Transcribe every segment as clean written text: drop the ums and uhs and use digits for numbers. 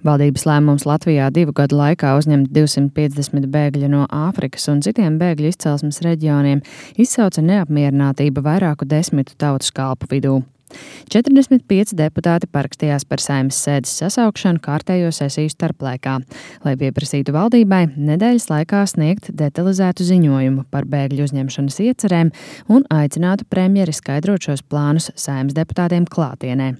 Valdības lēmums Latvijā 2 gadu laikā uzņemt 250 bēgļu no Āfrikas un citiem bēgļu izcelsmes reģioniem izsauca neapmierinātību vairāku desmitu tautas kalpu vidū. 45 deputāti parakstījās par Saeimas sēdes sasaukšanu kārtējo sesiju starplaikā, lai pieprasītu valdībai nedēļas laikā sniegt detalizētu ziņojumu par bēgļu uzņemšanas iecerēm un aicinātu premjeri skaidrot šos plānus Saeimas deputātiem klātienē.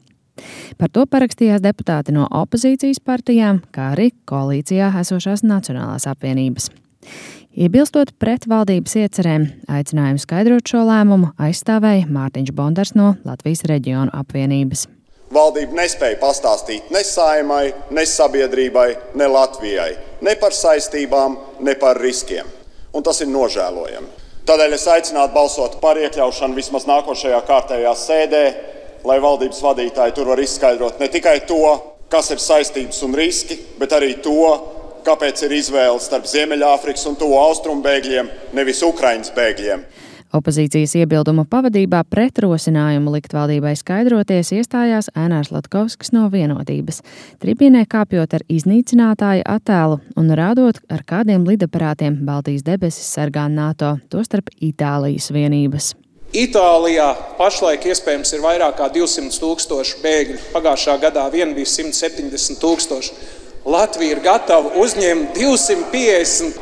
Par to parakstījās deputāti no opozīcijas partijām, kā arī koalīcijā esošās Nacionālās apvienības. Iebilstot pret valdības iecerēm, aicinājumu skaidrot šo lēmumu aizstāvēja Mārtiņš Bondars no Latvijas reģionu apvienības. Valdība nespēja pastāstīt ne Saeimai, ne sabiedrībai, ne Latvijai, ne par saistībām, ne par riskiem. Un tas ir nožēlojami. Tādēļ es aicinātu balsot par iekļaušanu vismaz nākošajā kārtējā sēdē, lai valdības vadītāji tur var izskaidrot ne tikai to, kas ir saistības un riski, bet arī to, kāpēc ir izvēle starp Ziemeļāfrikas un Tuvo Austrumu bēgļiem, nevis Ukrainas bēgļiem. Opozīcijas iebildumu pavadībā pret rosinājumu likt valdībai skaidroties iestājās Ēnārs Latkovskis no Vienotības, tribīnē kāpjot ar iznīcinātāja attēlu un rādot, ar kādiem lidaparātiem Baltijas debesis sargā NATO, tostarp Itālijas vienības. Itālijā pašlaik iespējams ir vairāk kā 200,000 bēgļu. Pagājušā gadā vien bija 170,000. Latvija ir gatava uzņemt 250,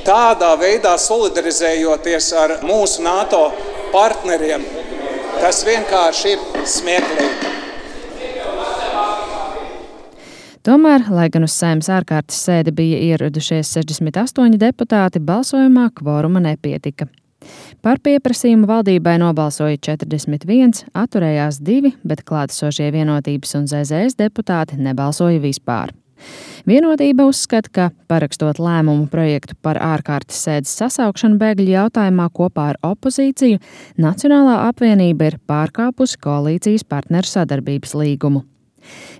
tādā veidā solidarizējoties ar mūsu NATO partneriem. Tas vienkārši ir smieklīgi. Tomēr, lai gan uz Saeimas ārkārtas sēdi bija ieradušies 68 deputāti, balsojumā kvoruma nepietika. Par pieprasījumu valdībai nobalsoja 41, atturējās 2, bet klātesošie Vienotības un ZZS deputāti nebalsoja vispār. Vienotība uzskata, ka parakstot lēmumu projektu par ārkārtas sēdes sasaukšanu bēgļu jautājumā kopā ar opozīciju, Nacionālā apvienība ir pārkāpusi koalīcijas partneru sadarbības līgumu.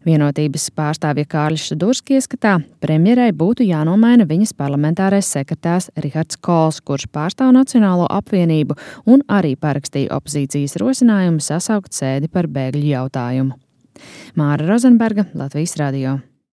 Vienotības pārstāvja Kārlis Šadurski ieskatā, premjerai būtu jānomaina viņas parlamentārais sekretārs Rihards Kols, kurš pārstāv Nacionālo apvienību un arī parakstīja opozīcijas rosinājumu sasaukt sēdi par bēgļu jautājumu. Māra Rozenberga, Latvijas radio.